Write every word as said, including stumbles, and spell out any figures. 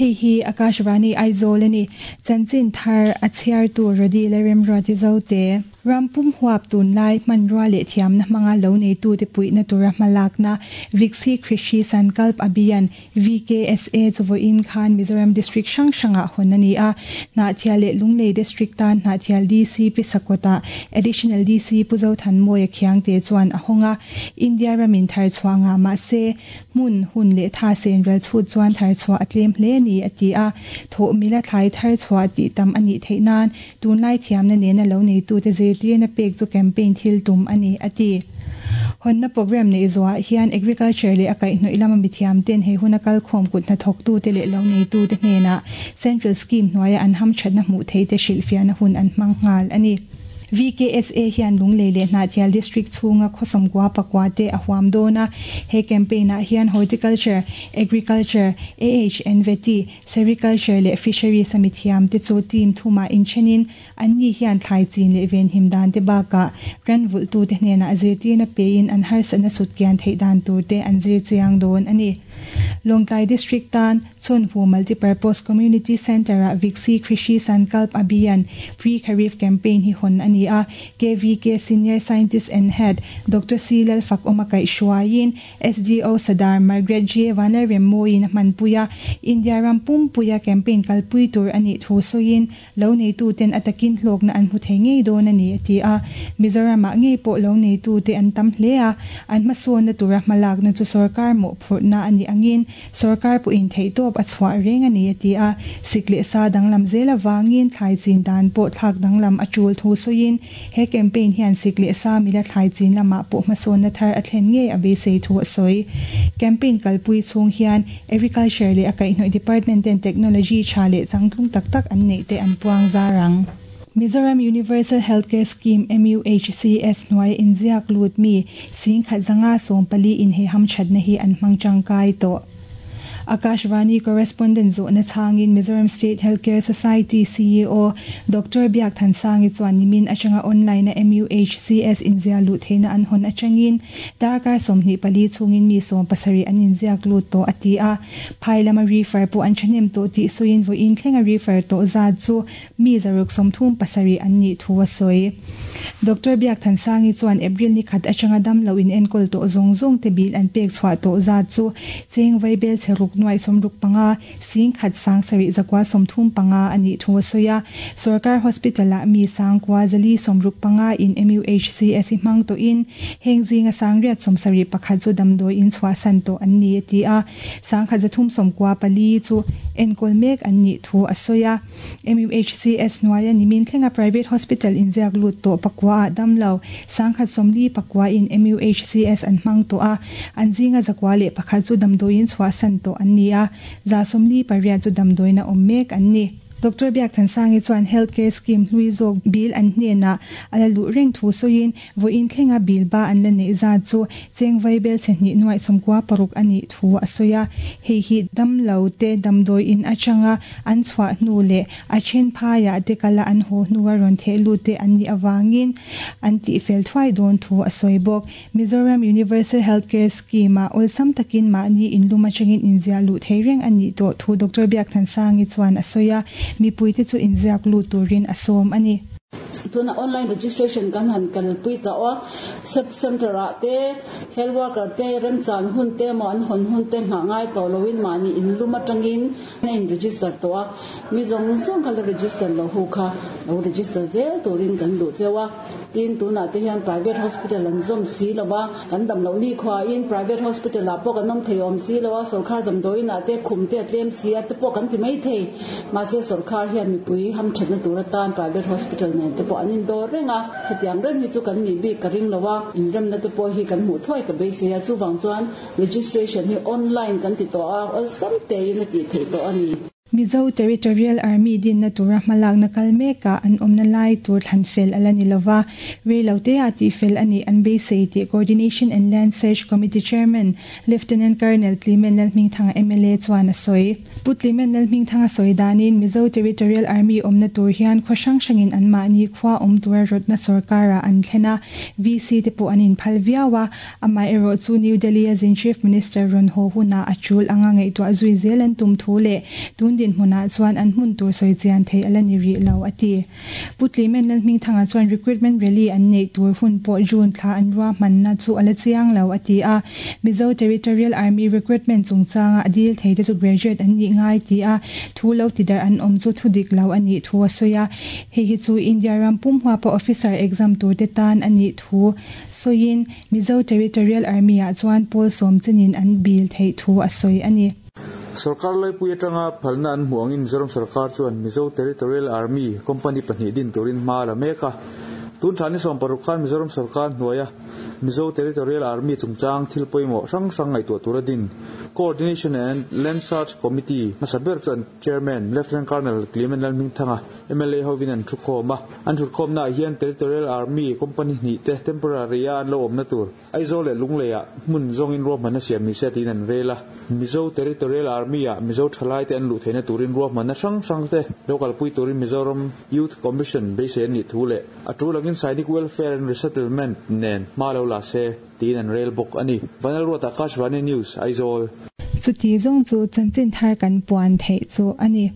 Hei hi Akashvani Aizawl ani chanchin thar a chhiar tu Rodi le Remruati Zote Rampum huap tun lai hmanrua leh thiamna hmanga lo nei tu te puihna tura hmalakna Viksit Krishi Sankalp Abhiyan V K S A chuvoin khan Mizoram district hrang hranga hawn ani a. Hnahthial leh Lunglei district tan Hnahthial D C Pisakota additional D C Puzo Thanmawia Khiangte chuan a hawnga. India ramin thar chhuanga ma se hmun hun leh tha sen ral chhut chuan thar chhuah a tlem hle ni a ti a. Tho mila thlai thar chhuah ti tam ani theihnan tunlai thiamna nena lo nei tu te zirtirna pek chu campaign thil tum ani a ti. Honna program nei zuwa hian agriculture le akai hnoi lama mithiam ten he huna kal khom kut na thok tu te le lo nei tu te hnena central scheme hnuaia an ham thatna hmu thei te hrilhfiahna hun an hmang nghal ani. V K S A hian Lunglei leh Hnahthial district chhunga khawsawm kwa pakwa te a huam dawna. He campaign ah hian horticulture, agriculture, A H N V T, sericulture leh fisheries a mithiam te chu team thuma inthenin an ni hian thlai chin leh ven him dan te baka ran vul tu te hnena zirtirna pe in an harsatna sut kian thei dan tur te an zir chiang dawn ani. Lawngtlai district tan Chonpu Multipurpose Community Center a Viksit Krishi Sankalp Abhiyan Pre Kharif campaign hi hon ani a. K V K Senior Scientist and Head Doctor C Lal Fak Omakai Shuayin S D O Sadar Margaret J Vanler Remoin Manpuya India Rampum Puya campaign kalpui tur ani thu soin lo nei tu ten atakin hlok na an hu thei ngei don ani ati a. Mizoram a ngei po lo nei tu te an tam hle a, an ma son na tura malak na chu sarkar mo phurna ani angin sarkar pu in thei top a chhuah reng ani ati a. Sikle sa danglam zela wangin thlai chin dan po thlak danglam a chul thu soin he campaign hian sikle sa mila thlai chin lama po hmasawn na thar a thlen nge a beisei thu a sawi. Campaign kalpui chung hian agriculture leh a kaihhnawih department ten technology tha leh changtlung tak tak an nei te an puang zarang. Mizoram Universal Healthcare Scheme M U H C S hnuai inziak lut mi sing khat zanga sawm pali in he ham thatna hi an hmang tangkai tawh. Akashvani correspondent zo na changin Mizoram State Healthcare Society C E O Doctor Biak Thansangi chuan nimin atanga online na M U H C S inzia lut theina an hon atangin darkar sawmhnih pali chungin mi sawm pasarih an inziak lut tawh a ti a. Phailama refer pawh an thahnem tawh tih sawiin vawiin thlenga refer tawh zat chu mi zaruk sawmthum pasarih an nih thu a sawi. Doctor Biak Thansangi chuan April ni khat atanga dam lo in enkawl tawh zawng zawng te bil an pek chhuah tawh zat chu cheng vaibel cheruk nuai somruk panga sing khat sang sari zakwa somthum panga ani thu a sawi a. Sarkar hospital a mi sangkwa zali somruk panga in M U H C S hi hmang to in heng zinga sangriat somsari pakhat chu damdawi in chhuah san tawh an ni a ti a. Sangkhat zathum sawmkua pali chu enkawl mek an nih thu a sawi a. M U H C S hnuaia nimin thlenga private hospital inziak lut tawh pakua ah damlo sangkhat sawmli pakua in M U H C S an hmang tawh a, an zinga zakwa leh pakhat chu damdawi in chhuah san tawh an ni a, za sawmli pariat chu damdawi na awm mek an ni. Doctor Biak Thansangi chuan healthcare scheme hlui zawk bil an hnena ala luh reng thu sawiin vawiin thlenga bil ba an la nei zat chu cheng vaibel chehnih nuai sawmkua paruk ani thu a sawi a. Hei hi damlo te damdawi in atanga an chhuah hnu leh a then phaiah te kala an haw hnuah rawn theh lut te an nih awangin an tih fel thuai dawn thu a sawi bawk. Mizoram Universal Healthcare Scheme ah awlsam takin mahni inlum atangin inziah luh thei reng ani tawh thu Doctor Biak Thansangi chuan a sawi a. Mipui te chu inziak lut turin a sawm ani. Tuna online registration kan han kal pui ta o sub center a te health worker te rem chan hun te mo an hon hun te nga ngai to lowin mani in luma tangin na in register to a. Mi zong zong kal register lo hu kha lo register zel turin kan du chewa. Tin tuna te hian private hospital an zom si lo ba kan dam lo ni khwa in private hospital a po kan nom thei om si lo wa sarkar dam doi na te khum te tlem si a te po kan ti mai thei ma se. Sarkar hian mi pui ham thatna tura tan private hospital ne te po anin do renga hetiang reng hi chu kan ni bi ka ring lowa in rem na te po hi kan mu thoi ka be se a. Chu wang chuan registration hi online kan ti to a, ol sam te in ti thei to ani. Mizo Territorial Army dinna tura hmalakna kal mekah an awmna lai tur thlan fel ala ni lova reilote a ti fel ani an beisei tih Coordination and Land Search Committee Chairman Lieutenant Colonel Clement Lalhmingthanga M L A chuan a sawi. Pu Clement Lalhmingthanga sawi danin Mizo Territorial Army awmna tur hian khaw hrang hrangin an mahni khua awm tura rawtna sarkara an thlena V C te pawh an inphal viau a, amaherawh chu New Delhi a zin Chief Minister rawn haw huna a tul anga ngaihtuah zui zel an tum thu leh tun dinhmunah chuan an hmun tur sawi chian thei ala ni rih lo a ti. Pu Clement Lalhmingthanga chuan recruitment rally an nei tur hun pawh June thla an ruahmanna chu ala chiang lo a ti a. Mizo Territorial Army recruitment chungchanga a dil thei te chu graduate an nih ngai ti a thu lo ti dar an awm chu thu dik lo ani thu a sawi a. Hei hi chu India ram pum huapa officer exam tur te tan ani thu sawiin Mizo Territorial Army ah chuan pawl sawm chenin an bil thei thu a sawi ani. Sarkar laipui atanga phalna an hmuh angin Mizoram sarkar chuan Mizo Territorial Army company pahnih din turin hma la mek a. Tun thla ni sawm paruk khan Mizoram sarkar hnuaia Mizo Territorial Army chungchang thil pawimawh hrang hrang ngaihtuah tura din Coordination and Land Search Committee hmasa ber chuan Chairman Lieutenant Colonel Clement Lalhmingthanga M L A hovin an thu khawm a. An thut khawmna ah hian Territorial Army company hnih te temporary a an lo awmna tur Aizawl leh Lunglei ah hmun zawngin ruahmanna siam ni se tiin an rel a. Mizo Territorial Army ah Mizo thalai te an luh theihna turin ruahmanna hrang hrang te lo kalpui turin Mizoram Youth Commission beisei an nih thu leh a tul angin Sainik Welfare and Resettlement nen hma lo la se tiin an rel bawk ani. Vanal Ruat, Akashvani News, Aizawl. Chuti zawng chu chanchin thar kan puan theih chu ani.